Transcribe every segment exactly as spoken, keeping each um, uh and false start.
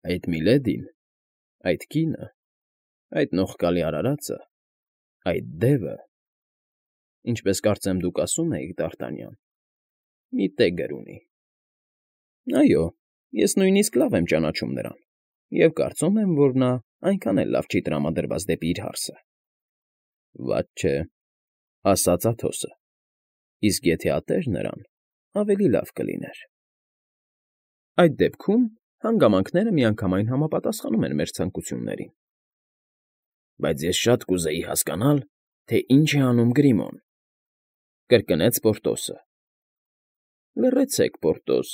Այդ Միլեդին, այդ կինը, այդ նողկալի արարածը, այդ դևը, ինչպես կարծեմ դուք ասում էիք, Դ'Արտանյան, մի տեգր ունի։ Այո, ես նույնիսկ լավ եմ ճանաչում նրան և կարծում եմ, որ նա այնքան էլ լավ չի տրամադրված դեպի իր հարսը։ Վատ չէ, ասաց Աթոսը, իսկ եթե ատեր նրան, ավելի լավ կլիներ։ Այդ դեպքում հանգամանքները միանգամայն համապատասխանում են մեր ցանկություններին։ Բայց ես շատ կուզեի հասկանալ, թե ինչ է անում Գրիմոն,֊ կրկնեց Պորտոսը։ Լռեցեք, Պորտոս,֊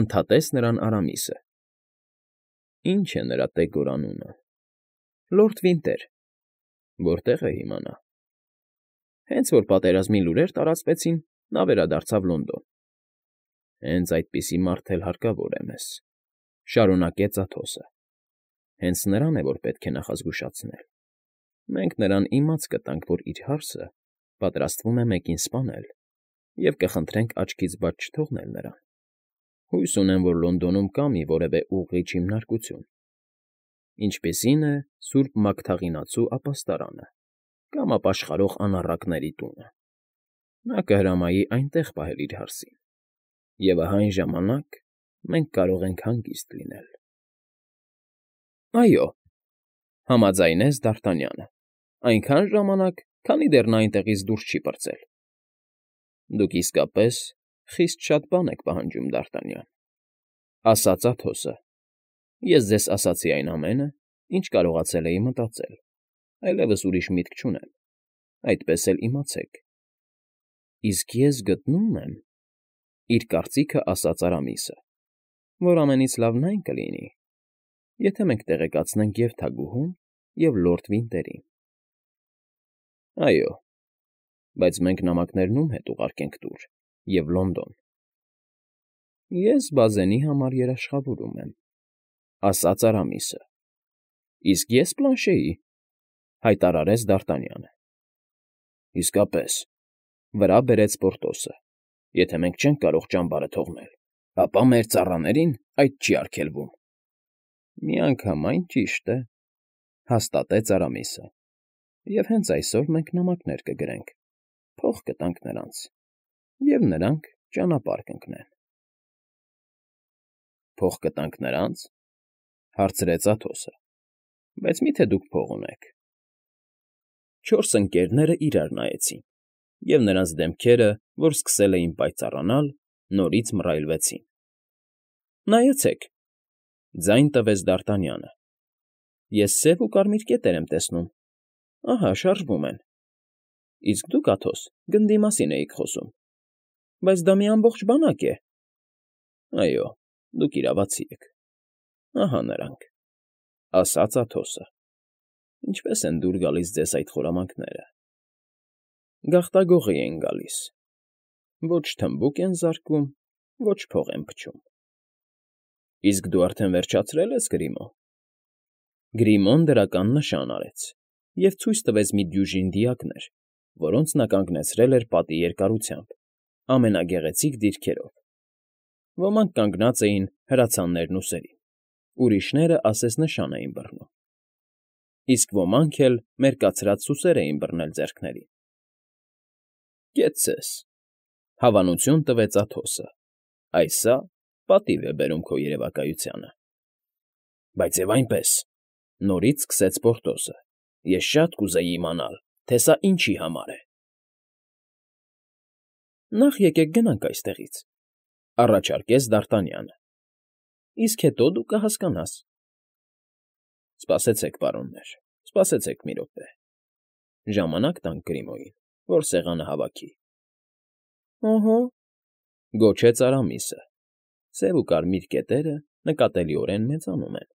ընդհատեց նրան Արամիսը։ Ինչ է նրա տեգոր անունը։ Լորդ Վինտեր։ Որտե՞ղ է հիմա նա։ Հենց որ պատերազմի լուրեր տարածվեցին, նա վերադարձավ Լոնդոն։ Հենց այդպիսի մարդ էլ հարկավոր է մեզ,֊ շարունակեց Աթոսը։ Հենց նրան է, որ պետք է նախազգուշացնել։ Մենք նրան իմաց կտանք, որ իր հարսը պատրաստվում է մեկին սպանել, և կխնդրենք աչքից բաց չթողնել նրան։ Հույս ունեմ, որ Լոնդոնում կա մի որևէ ուղղիչ հիմնարկություն, ինչպիսին է Սուրբ Մագդաղինացու ապաստարանը կամ ապաշխարող անառակների տունը։ Նա կհրամայի այնտեղ պահել իր հարսին, և ահա այն ժամանակ մենք կարող ենք հանգիստ լինել։ ֊ Այո,֊ համաձայնեց Դ'Արտանյանը,֊ այնքան ժամանակ, քանի դեռ նա այնտեղից դուրս չի պրծել։ ֊ Դուք իսկապես խիստ շատ բան եք պահանջում, Դ'Արտանյան,֊ ասաց Աթոսը։ Ես ձեզ ասացի այն ամենը, ինչ կարողացել էի մտածել, այլևս ուրիշ միտք չունեմ, այդպես էլ իմացեք։ ֊ Իսկ ես գտնում եմ,֊ իր կարծիքը ասաց Արամիսը,֊ որ ամենից լավն այն կլինի, եթե մենք տեղեկացնենք և՛ թագուհուն, և՛ լորդ Վինտերին։ ֊ Այո, բայց մենք նամակներն ում հետ ուղարկենք տուր և Լոնդոն։ ֊ Ես բազենի համար երաշխավորում եմ,֊ ասաց Արամիսը։ ֊ Իսկ ես Պլանշեի,֊ հայտարարեց Դ'Արտանյանը։ ֊ Իսկապես,֊ վրա բերեց Պորտոսը,֊ եթե մենք չենք կարող ճամբարը թողնել, ապա մեր ծառաներին այդ չի արգելվում։ ֊ Միանգամայն ճիշտ է,֊ հաստատեց Արամիսը,֊ և հենց այսօր մենք նամակներ կգրենք, փող կտանք նրանց, և նրանք ճանապարհ կընկնեն։ ֊ Փող կտանք նրանց,֊ հարցրեց Աթոսը,֊ բայց մի՞թե դուք փող ունեք։ Չորս ընկերները իրար նայեցին, և նրանց դեմքերը, որ սկսել էին պայծառանալ, նորից մռայլվեցին։ ֊ Նայեցեք,֊ ձայն տվեց Դ'Արտանյանը,֊ ես սև ու կարմիր կետեր եմ տեսնում, ահա, շարժվում են։ ֊ Իսկ դուք, Աթոս, գնդի մասին էիք խոսում։ ֊ Բայց դա մի ամբողջ բանակ է։ ֊ Այո, դուք իրավացի եք, ահա նրանք,֊ ասաց Աթոսը։ ֊ Ինչպե՞ս են դուր գալիս ձեզ այդ խորամանկները։ ֊ Գաղտագողի են գալիս, ոչ թմբուկ են զարկում, ոչ փող են փչում։ ֊ Իսկ դու արդեն վերջացրե՞լ ես, Գրիմո։ Գրիմոն դրական նշան արեց և ցույց տվեց մի դյուժին դիակներ, որոնց նա կանգնեցրել էր պատի երկարությամբ, ամենագեղեցիկ դիրքերով. ոմանք կանգնած էին հրացաններն ուսերին, ուրիշները ասես նշան էին բռնում, իսկ ոմանք էլ մերկացրած սուսեր էին բռնել ձեռքներին։ ֊ Կեցցես,֊ հավանություն տվեց Աթոսը,֊ այս սա պատիվ է բերում քո երևակայությանը։ ֊ Բայց և այնպես,֊ նորից սկսեց Պորտոսը,֊ ես շատ կուզեի իմանալ, թե սա ինչի համար է։ ֊ Նախ եկեք գնանք այստեղից,֊ առաջարկեց Դ'Արտանյանը,֊ իսկ հետո դու կհասկանաս։ ֊ Սպասեցեք, պարոններ, սպասեցեք մի րոպե… Ժամանակ տանք Գրիմոյին, որ սեղանը հավաքի։ ֊ Օհո,֊ գոչեց Արամիսը,֊ սև ու կարմիր կետերը նկատելիորեն մեծանում են,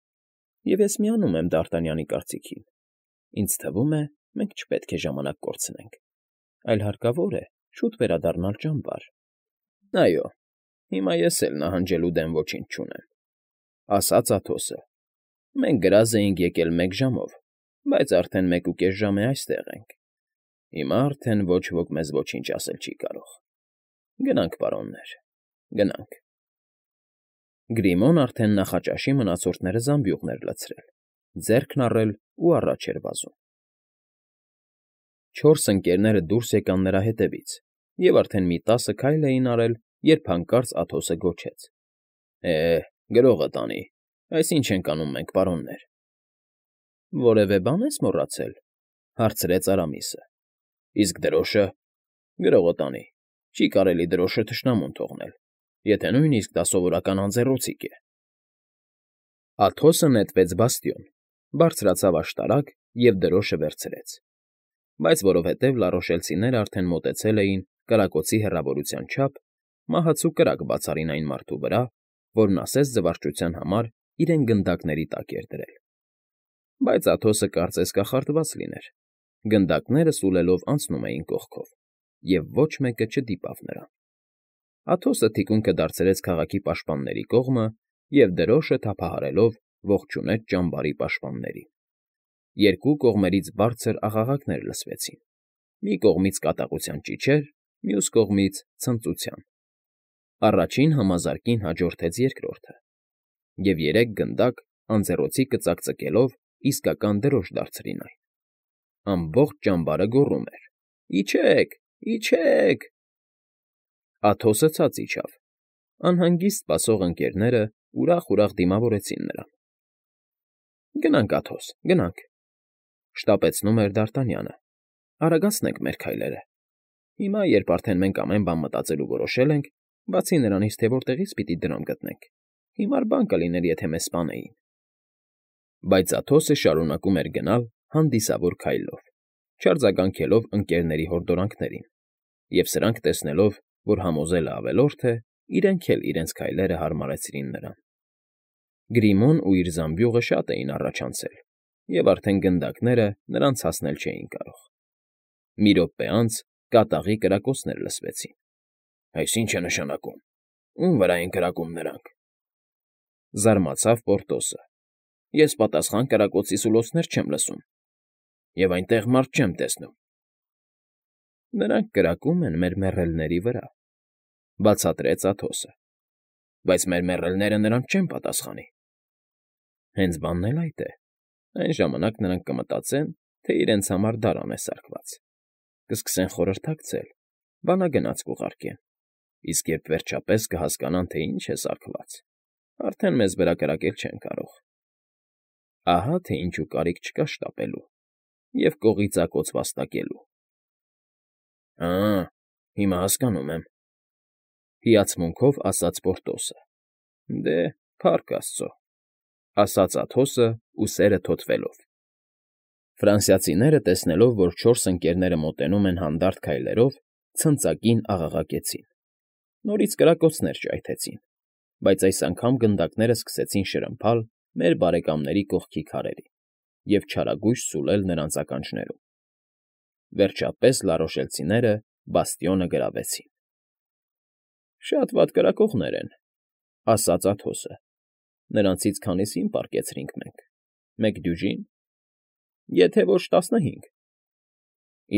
և ես միանում եմ Դ'Արտանյանի կարծիքին. ինձ թվում է, մենք չպետք է ժամանակ կորցնենք, այլ հարկավոր է շուտ վերադառնալ ճամբար։ ֊ Այո, հիմա ես էլ նահանջելու դեմ ոչինչ չունեմ,֊ ասաց Աթոսը,֊ մենք գրազ էինք եկել մեկ ժամով, բայց արդեն մեկուկես ժամ է այստեղ ենք, հիմա արդեն ոչ ոք մեզ ոչինչ ասել չի կարող։ Գնանք, պարոններ, գնանք։ Գրիմոն արդեն նախաճաշի մնացորդները զամբյուղն էր լցրել, ձեռքն առել ու առաջ էր վազում։ Չորս ընկներները դուրս եկան նրա հետևից և արդեն մի տասը քայլ էին արել, երբ հանկարծ Աթոսը գոչեց. ֊ Է, գրողը տանի, այս ինչ ենք անում մենք, պարոններ։ ֊ Որևէ բան ես մոռացել,֊ հարցրեց Արամիսը։ ֊ Իսկ դրոշը… Գրողը տանի, չի կարելի դրոշը թշնամուն թողնել, եթե նույնիսկ դա սովորական անձեռոցիկ է։ Աթոսը նետվեց բաստիոն, բարձրացավ աշտարակ և դրոշը վերցրեց։ Բայց որովհետև լառոշելցիներն արդեն մոտեցել էին կրակոցի հեռավորության չափ, մահացու կրակ բացարին այն մարդու վրա, որն ասես զվարճության համար իրեն գնդակների տակ էր դրել։ Բայց Աթոսը կարծես կախարդված լիներ, գնդակները սուլելով անցնում էին կողքով, և ոչ մեկը չդիպավ նրան։ Աթոսը թիկունքը դարձրեց քաղաքի պաշտպանների կողմը և դրոշը թափահարելով ողջունեց ճամբարի պաշտպաններին։ Երկու կողմերից բարձր աղաղակներ լսվեցին, մի կողմից կատաղության ճիչեր, մյուս կողմից՝ ցնծության։ Առաջին համազարկին հաջորդեց երկրորդը, և երեք գնդակ, անձեռոցիկը ծակծկելով, իսկական դրոշ դարձրին այն։ Ամբողջ ճամբարը գոռում էր. «Իջե՛ք, իջե՛ք»։ Աթոսը ցած իջավ։ Անհանգիստ սպասող ընկներները ուրախ֊ուրախ դիմավորեցին նրան։ ֊ Գնանք, Աթոս, գնանք,֊ շտապեցնում էր Դարտանյանը,֊ արագացնենք մեր քայլերը։ Հիմա, երբ արդեն մենք ամեն բան մտածել ու որոշել ենք, բացի նրանից, թե որտեղից պիտի դրամ գտնենք, հիմար բան կլիներ, եթե մեզ սպանեին։ Բայց Աթոսը շարունակում էր գնալ հանդիսավոր քայլով, չարձագանքելով ընկներների հորդորանքներին, և սրանք տեսնելով, որ համոզելը ավելորդ է, իրենք էլ իրենց քայլերը հարմարեցրին նրան։ Գրիմոն ու իր զամբյուղը շատ էին առաջ անցել, և արդեն գնդակները նրանց հասնել չէին կարող։ Մի րոպե անց կատաղի կրակոցներ լսվեցին։ ֊ Այս ի՞նչ է նշանակում, ո՞ւմ վրա են կրակում նրանք,֊ զարմացավ Պորտոսը։ ֊ Ես պատասխան կրակոցի սուլոցներ չեմ լսում, և այնտեղ մարդ չեմ տեսնում։ ֊ Նրանք կրակում են մեր մեռելների վրա,֊ բացատրեց Աթոսը։ ֊ Բայց մեր մեռելները նրանց չեն պատասխանի։ ֊ Հենց բանն էլ այդ է. այն ժամանակ նրանք կմտածեն, թե իրենց համար դարան է սարքված, կսկսեն խորհրդակցել, բանագնաց կուղարկեն, իսկ երբ վերջապես կհասկանան, թե ինչ է սարքված, արդեն մեզ վրա կրակել չեն կարող։ Ահա թե ինչու կարիք չկա շտապելու և կողի ծակոց վաստակելու։ ֊ Հա՛, հիմա հասկանում եմ,֊ հիացմունքով ասաց Պորտոսը։ ֊ Դե, փառք աստծո,֊ ասաց Աթոսը, ուսերը թոթվելով։ Ֆրանսիացիները, տեսնելով, որ չորս ընկներները մոտենում են հանդարտ քայլերով, ցնծակին աղաղակեցին։ Նորից կրակոցներ ճայթեցին, բայց այս անգամ գնդակները սկսեցին շրմփալ մեր բարեկամների կողքի քարերին և չարագույժ սուլել նրանց ականջներում։ Վերջապես լառոշելցիները բաստիոնը գրավեցին։ ֊ Շատ վատ կրակողներ են,֊ ասաց Աթոսը։ Նրանցից քանիսին պառկեցրինք մենք, մեկ դյուժի՞ն։ ֊ Եթե ոչ տասնհինգ։ ֊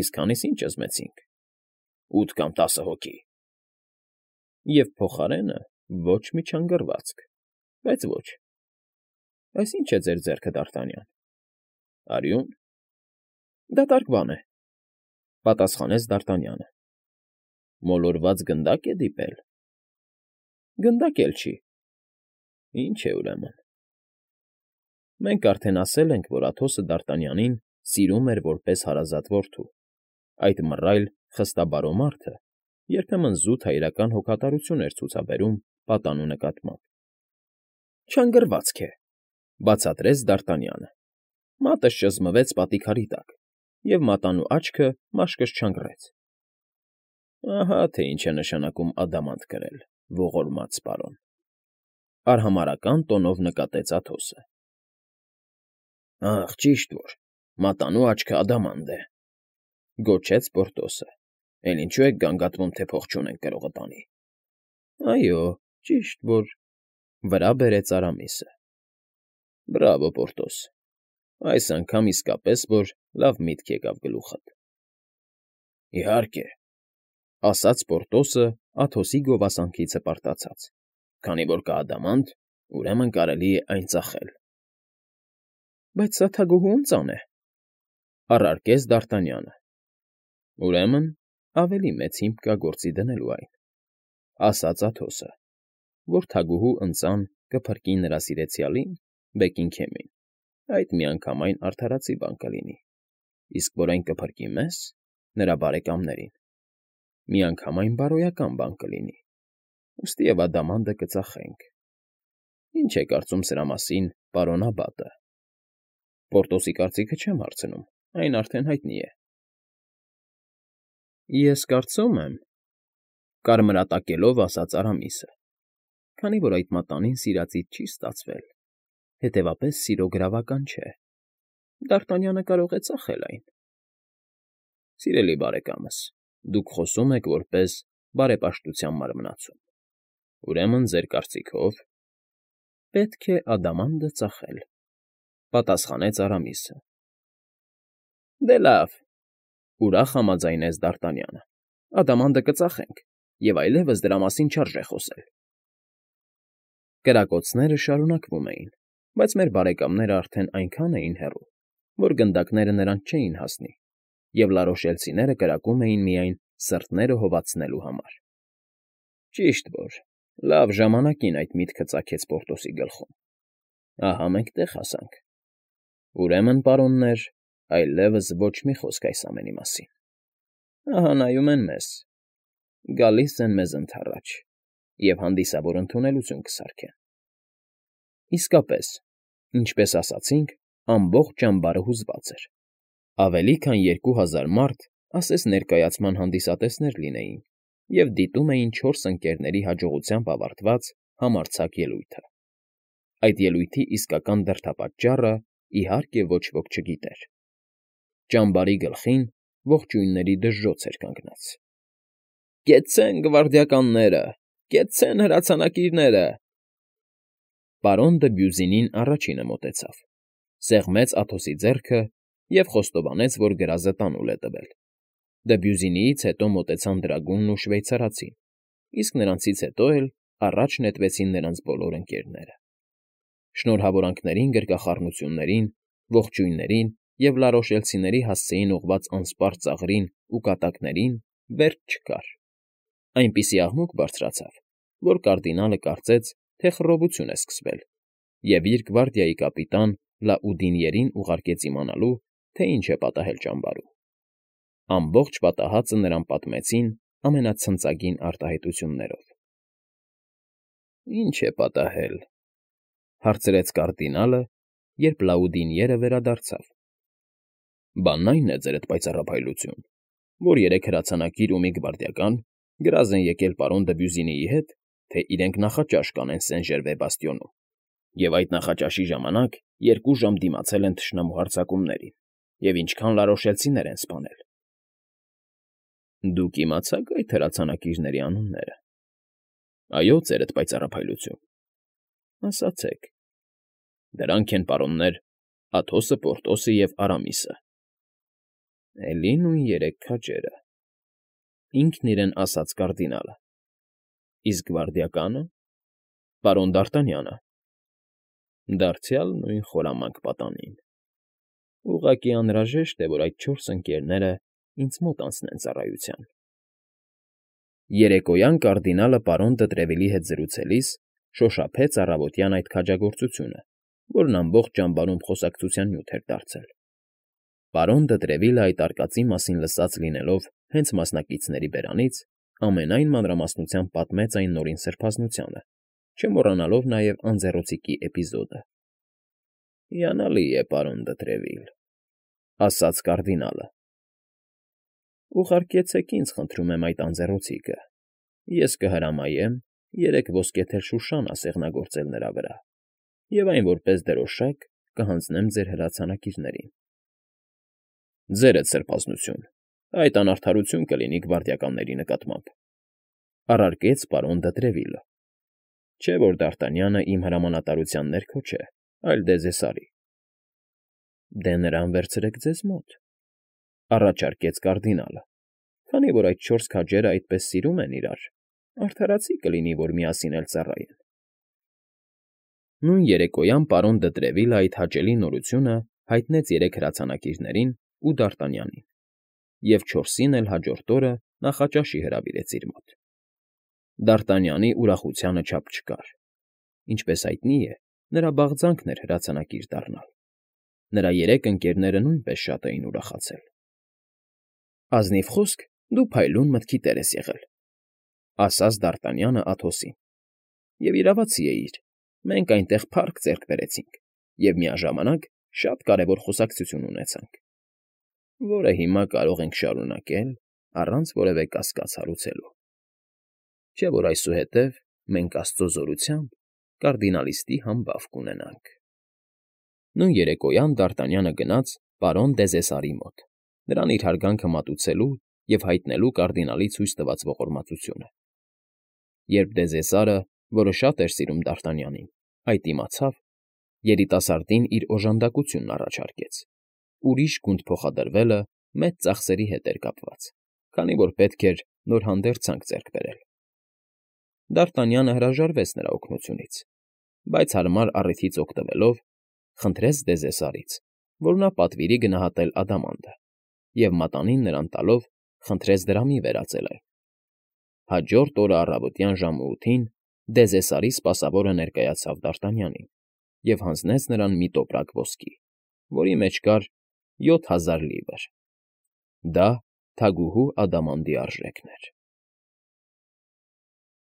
Իսկ քանիսին ճզմեցինք։ ֊ Ութ կամ տասը հոգի։ ֊ Եվ փոխարենը ոչ մի չանգռվածք, բայց ոչ։ ֊ Այս ի՞նչ է ձեր ձեռքը, Դարտանյան։ ֊ Արյու՞ն։ ֊ Դատարկ բան է,֊ պատասխանեց Դարտանյանը։ ֊ Մոլորված գնդա՞կ է դիպել։ ֊ Գնդակ էլ չի։ ֊ Ինչ է, ուրեմն։ Մենք արդեն ասել ենք, որ Աթոսը Դարտանյանին սիրում էր որպես հարազատ որդու, այդ մռայլ, խստաբարո մարդը երբեմն զուտ հայրական հոգատարություն էր ցուցաբերում պատանու նկատմամբ։ ֊ Չանգռվածք է,֊ բացատրեց Դարտանյանը։ Մատս ճզմվեց պատի քարի տակ, և մատանու աչքը մաշկս չանգռեց։ ֊ Ահա թե ինչ է նշանակում ադամանդ կրել, ողորմած պարոն,֊ արհամարհական տոնով նկատեց Աթոսը։ ֊ Ախ, ճիշտ որ, մատանու աչքն ադամանդ է,֊ գոչեց Պորտոսը։ ֊ Էլ ինչո՞ւ եք գանգատվում, թե փող չունենք գրողը տանի։ ֊ Այո, ճիշտ որ,֊ վրա բերեց Արամիսը։ ֊ Բրավո, Պորտոս, այս անգամ իսկապես որ լավ միտք եկավ գլուխդ։ ֊ Իհարկե,֊ ասաց Պորտոսը Աթոսի գովասանքից հպարտացած,֊ քանի որ կա ադամանդ, Ուրեմն կարելի է այն ծախել։ ֊ Բայց սա թագուհու ընծան է,֊ առարկեց Դ'Արտանյանը։ ֊ Ուրեմն ավելի մեծ հիմք կա գործի դնելու այն,֊ ասաց Աթոսը, որ թագուհու ընծան կփրկի նրա սիրեցյալին՝ Բեքինգեմին, այդ միանգամայն արդարացի բան կլինի, իսկ որ այն կփրկի մեզ՝ նրա բարեկամներին, միանգամայն բարոյական բան կլինի, ուստիև ադամանդը կծախենք։ Ինչ է կարծում սրա մասին պարոն Աբատը։ Պորտոսի կարծիքը չեմ հարցնում, այն արդեն հայտնի է։ ֊ Ես կարծում եմ,֊ կարմրատակելով ասաց Արամիսը, քանի որ այդ մատանին սիրածից չի ստացվել, հետևապես սիրո գրավական չէ, Դ'Արտանյանը կարող է ծախել այն։ ֊ Սիրելի բարեկամս, դուք խոսում եք որպես բարեպաշտության մարմնացու, ուրեմն ձեր կարծիքով… ֊ Պետք է ադամանդը ծախել,֊ պատասխանեց Արամիսը։ ֊ Դե լավ,֊ ուրախ համաձայնեց Դ'Արտանյանը,֊ ադամանդը կծախենք, և այլևս դրա մասին չարժե խոսել։ Կրակոցները շարունակվում էին, բայց մեր բարեկամներն արդեն այնքան էին հեռու, որ գնդակները նրանց չէին հասնի, և լարոշելցիները կրակում էին միայն սրտները հովացնելու համար։ Ճիշտ որ լավ ժամանակին այդ միտքը ծագեց Պորտոսի գլխում։ Ահա մենք տեղ հասանք։ Ուրեմն, պարոններ, այլևս ոչ մի խոսք այս ամենի մասին։ Ահա նայում են մեզ, գալիս են մեզ ընդառաջ և հանդիսավոր ընդունելություն կսարքեն։ Իսկապես, ինչպես ասացինք, ամբողջ ճամբարը հուզված էր։ Ավելի քան երկու հազար մարդ ասես ներկայացման հանդիսատեսներ լինեին և դիտում էին չորս ընկերների հաջողությամբ ավարտված համարձակ ելույթը։ Այդ ելույթի իսկական դրդապատճառը, իհարկե, ոչ ոք չգիտեր։ Ճամբարի գլխին ողջույնների դժժոց էր կանգնած։ «Կեցցե՜ն, գվարդիականները, կեցցե՜ն, հրացանակիրները…» Պարոն Դըբյուզինին առաջինը մոտեցավ, սեղմեց Աթոսի ձեռքը և խոստովանեց, որ գրազը տանուլ է տվել։ Դըբյուզինիից հետո մոտեցան դրագունն ու շվեյցարացին, իսկ նրանցից հետո էլ առաջ նետվեցին նրանց բոլոր ընկերները։ Շնորհավորանքներին, գրկախառնություններին, ողջույններին և լարոշելցիների հասցեին ուղղված անսպառ ծաղրին ու կատակներին վերջ չկար։ Այնպիսի աղմուկ բարձրացավ, որ կարդինալը կարծեց, թե խռովություն է սկսվել, և իր գվարդիայի կապիտան Լաուդինիերին ուղարկեց իմանալու, թե ինչ է պատահել ճամբարում։ Ամբողջ պատահածը նրան պատմեցին ամենացնծագին արտահայտություններով։ ֊ Ի՞նչ է պատահել,֊ հարցրեց կարդինալը, երբ Լաուդինիերը վերադարձավ։ ֊ Բանն այն է, ձերդ պայծառափայլություն, որ երեք հրացանակիր ու մի գվարդիական գրազ են եկել պարոն Դըբյուզինիի հետ, թե իրենք նախաճաշ կանեն Սեն֊Ժերվե բաստիոնում, և այդ նախաճաշի ժամանակ երկու ժամ դիմացել են թշնամու հարձակումներին և ինչքան լարոշելցիներ են սպանել։ ֊ Դուք իմացա՞ք այդ հրացանակիրների անունները։ ֊ Այո, ձերդ պայծառափայլություն։ ֊ Ասացեք։ ֊ Դրանք են, պարոններ, Աթոսը, Պորտոսը և Արամիսը։ ֊ Էլի նույն երեք քաջերը,֊ ինքն իրեն ասաց կարդինալը։ ֊ Իսկ գվարդիակա՞նը։ ֊ Պարոն Դ'Արտանյանը։ ֊ Դարձյալ նույն խորամանկ պատանին։ Ուղղակի անհրաժեշտ է, որ այդ չորս ընկերները ինձ մոտ անցնեն ծառայության։ Երեկոյան կարդինալը պարոն Դը-Տրևիլի հետ զրուցելիս շոշափեց առավոտյան այդ քաջագործությունը, որն ամբողջ ճամբարում խոսակցության նյութ էր դարձել։ Պարոն Դը-Տրևիլը այդ արկածի մասին լսած լինելով հենց մասնակիցների բերանից, ամենայն մանրամասնությամբ պատմեց այն նորին սրբազնությանը, չմոռանալով նաև անձեռոցիկի էպիզոդը։ ֊ Հիանալի է, պարոն Դը-Տրևիլ,֊ ասաց կարդինալը։ ֊ Ուղարկեցեք ինձ, խնդրում եմ, այդ անձեռոցիկը, ես կհրամայեմ երեք ոսկեթել շուշանա սեղնագործել նրա վրա և այն որպես դրոշակ կհանձնեմ ձեր հրացանակիրներին։ ֊ Ձերդ սրբազնություն, այդ անարդարություն կլինի գվարդիականների նկատմամբ,֊ առարկեց պարոն Դը-Տրևիլը։ ֊ Չէ՞ որ Դ'Արտանյանը իմ հրամանատարության ներքո չէ, այլ Դեզեսարի։ ֊ Դե նրան վերցրեք ձեզ մոտ,֊ առաջարկեց կարդինալը, քանի որ այդ չորս քաջերն այդպես սիրում են իրար, արդարացի կլինի, որ միասին էլ ծառայեն։ Նույն երեկոյան պարոն Դտրևիլը այդ հաճելի նորությունը հայտնեց երեք հրացանակիրներին ու Դարտանյանին, և չորսին էլ հաջորդ օրը նախաճաշի հրավիրեց իր մոտ։ Դարտանյանի ուրախությանը չափ չկար. ինչպես հայտնի է, նրա բաղձանքն էր հրացանակիր դառնալ։ Նրա երեք ընկերները նույնպես շատ էին ուրախացել։ «Ազնիվ խոսք, դու փայլուն մտքի տեր ես եղել,֊ ասաց Դարտանյանը Աթոսին,֊ և իրավացի էիր, մենք այնտեղ փառք ձեռք բերեցինք և միաժամանակ շատ կարևոր խոսակցություն ունեցանք, որը հիմա կարող ենք շարունակել առանց որևէ կասկած հարուցելու։ Չէ՞ որ այսուհետև մենք աստծո զորությամբ կարդինալիստի համբավ կունենանք»։ Նույն երեկոյան Դարտանյանը գնաց պարոն Դեզեսարի մոտ, նրան իր հարգանքը մատուցելու և հայտնելու կարդինալի ցույց տված ողորմածությունը։ Երբ Դեզեսարը, որը շատ էր սիրում Դարտանյանին, այդ իմացավ, երիտասարդին իր օժանդակությունն առաջարկեց։ Ուրիշ գունդ փոխադրվելը մեծ ծախսերի հետ էր կապված, քանի որ պետք էր նոր հանդերձանք ձեռք բերել։ Դարտանյանը հրաժարվեց նրա օգնությունից, բայց հարմար առիթից օգտվելով, խնդրեց Դեզեսարից, որ նա պատվիրի գնահատել ադամանդը, և մատանին նրան տալով խնդրեց դրամի վերածել այն։ Հաջորդ օրը առավոտյան ժամը ութին Դեզեսարի սպասավորը ներկայացավ Դարտանյանին և հանձնեց նրան մի տոպրակ ոսկի, որի մեջ կար յոթ հազար լիվր. դա թագուհու ադամանդի արժեքն էր։